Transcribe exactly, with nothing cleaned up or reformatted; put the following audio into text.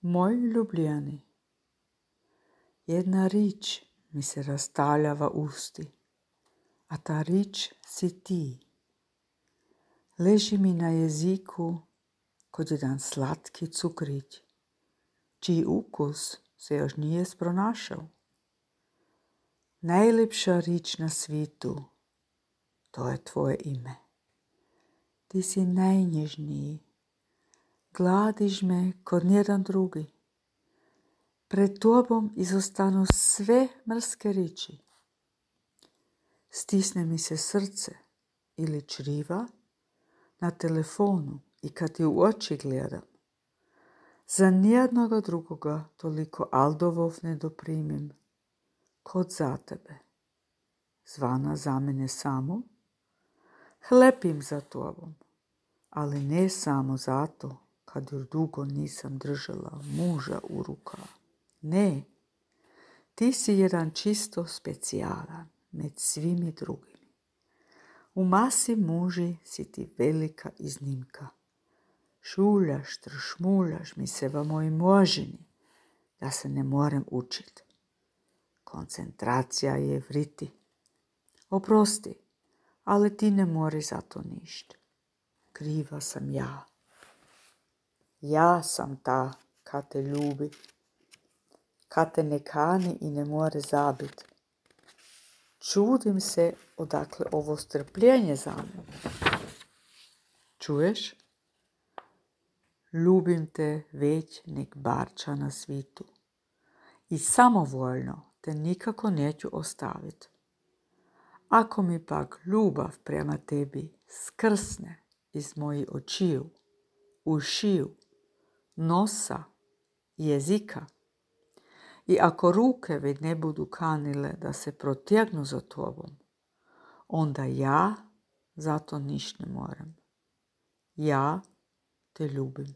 Moj ljubljeni, jedna rič mi se razstavljava usti, a ta rič si ti. Leži mi na jeziku kot jedan slatki cukrić, čiji ukus se još nije spronašao. Najlepša rič na svitu, to je tvoje ime. Ti si najnježniji, gladiš me kot nijedan drugi. Pred tobom izostanu sve mrske riči. Stisne mi se srce ili čriva na telefonu i kad ti u oči gledam. Za nijednoga drugoga toliko aldovov ne doprimim kot za tebe. Zvana za mene samu, hlepim za tobom, ali ne samo zato kad još dugo nisam držala muža u rukama. Ne, ti si jedan čisto specijalan med svimi drugimi. U masi muži si ti velika iznimka. Šuljaš, tršmuljaš mi se v moj možini, da se ne morem učit. Koncentracija je vriti. Oprosti, ali ti ne moriš za to ništa. Kriva sam ja. Ja sam ta kad te ljubi, kad te ne kani i ne more zabit. Čudim se odakle ovo strpljenje za mene. Čuješ? Ljubim te već nek barča na svitu i samovoljno te nikako neću ostavit. Ako mi pak ljubav prema tebi skrsne iz mojih očiju, ušiju, nosa, jezika, i ako ruke već ne budu kanile da se protjegnu za tobom, onda ja za to ništa ne moram. Ja te ljubim.